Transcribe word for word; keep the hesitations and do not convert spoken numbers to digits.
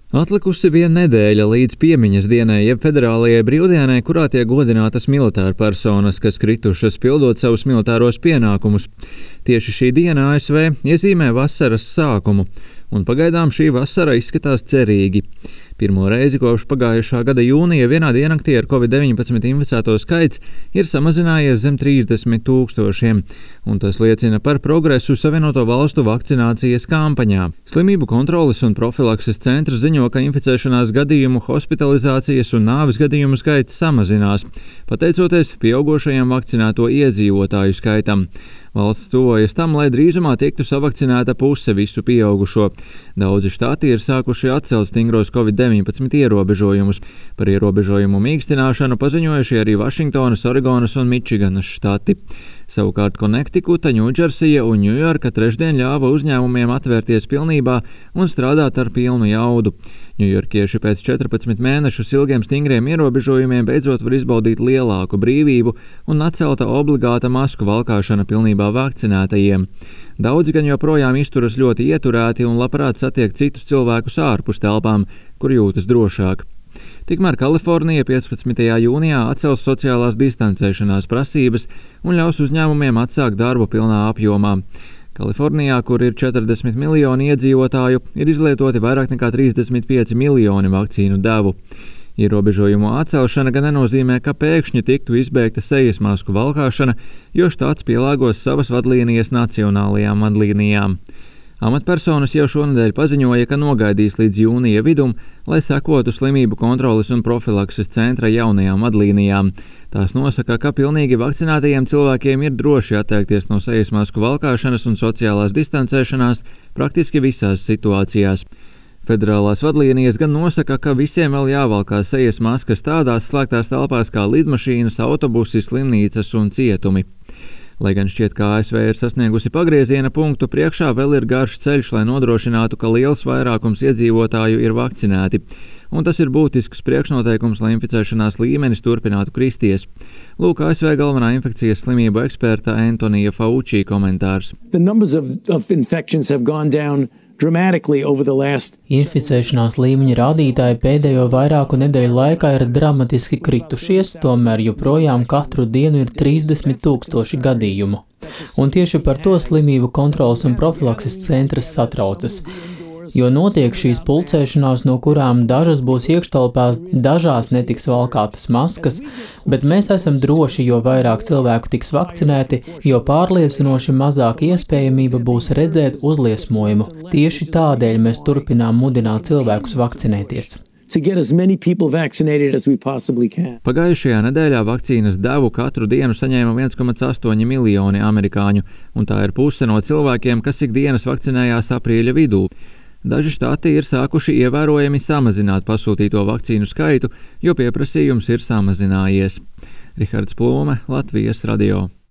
Atlikusi viena nedēļa līdz piemiņas dienai, jeb federālajai brīvdienai, kurā tiek godinātas militāra personas, kas kritušas pildot savus militāros pienākumus. Tieši šī diena A S V iezīmē vasaras sākumu, un pagaidām šī vasara izskatās cerīgi. Pirmo reizi kopš pagājušā gada jūnija vienā diennaktī ar covid deviņpadsmit inficēto skaits ir samazinājies zem trīsdesmit tūkstošiem, un tas liecina par progresu Savienoto Valstu vakcinācijas kampaņā. Slimību kontroles un profilakses centrs ziņo, ka inficēšanās gadījumu, hospitalizācijas un nāves gadījumu skaits samazinās, pateicoties pieaugošajam vakcinēto iedzīvotāju skaitam. Valsts tuvojas tam, lai drīzumā tiktu savakcinēta puse visu pieaugušo. Daudzi štati ir sākuši atcelt stingros covid deviņpadsmit ierobežojumus. Par ierobežojumu mīkstināšanu paziņojuši arī Vašingtonas, Oregonas un Mičiganas štati. Savukārt Konektikuta, Ņūdžersija un Ņujorka trešdien ļāva uzņēmumiem atvērties pilnībā un strādāt ar pilnu jaudu. Ņujorkieši pēc četrpadsmit mēnešus ilgiem stingriem ierobežojumiem beidzot var izbaudīt lielāku brīvību un atcelta obligāta masku valkāšana pilnībā vakcinētajiem. Daudzi gan joprojām izturas ļoti ieturēti un labprāt satiek citus cilvēkus ārpus telpām, kur jūtas drošāk. Tikmēr Kalifornija piecpadsmitajā jūnijā atcels sociālās distancēšanās prasības un ļaus uzņēmumiem atsākt darbu pilnā apjomā. Kalifornijā, kur ir četrdesmit miljoni iedzīvotāju, ir izlietoti vairāk nekā trīsdesmit pieci miljoni vakcīnu devu. Ierobežojumu atcelšana gan nenozīmē, ka pēkšņi tiktu izbeigta sejas masku valkāšana, jo štats pielāgos savas vadlīnijas nacionālajām vadlīnijām. Amatpersonas jau šonedēļ paziņoja, ka nogaidīs līdz jūnija vidum, lai sekotu slimību kontroles un profilakses centra jaunajām vadlīnijām. Tās nosaka, ka pilnīgi vakcinētajiem cilvēkiem ir droši atteikties no sejas masku valkāšanas un sociālās distancēšanās praktiski visās situācijās. Federālās vadlīnijas gan nosaka, ka visiem vēl jāvalkā sejas maskas tādās slēgtās telpās kā lidmašīnas, autobusi, slimnīcas un cietumi. Lai gan šķiet, ka A S V ir sasniegusi pagrieziena punktu, priekšā vēl ir garš ceļš, lai nodrošinātu, ka liels vairākums iedzīvotāju ir vakcinēti. Un tas ir būtisks priekšnoteikums, lai inficēšanās līmenis turpinātu kristies. Lūk, A S V galvenā infekcijas slimību eksperta Antonija Fauci komentārs. Inficēšanās līmeņa rādītāji pēdējo vairāku nedēļu laikā ir dramatiski kritušies, tomēr joprojām katru dienu ir trīsdesmit tūkstoši gadījumu. Un tieši par to slimību kontroles un profilakses centrs satraucas. Jo notiek šīs pulcēšanās, no kurām dažas būs iekštelpās, dažās netiks valkātas maskas, bet mēs esam droši, jo vairāk cilvēku tiks vakcinēti, jo pārliecinoši mazāk iespējamība būs redzēt uzliesmojumu. Tieši tādēļ mēs turpinām mudināt cilvēkus vakcinēties. Pagājušajā nedēļā vakcīnas devu katru dienu saņēma viens komats astoņi miljoni amerikāņu, un tā ir puse no cilvēkiem, kas ikdienas vakcinējās aprīļa vidū. Daži štati ir sākuši ievērojami samazināt pasūtīto vakcīnu skaitu, jo pieprasījums ir samazinājies. Rihards Plūme, Latvijas radio.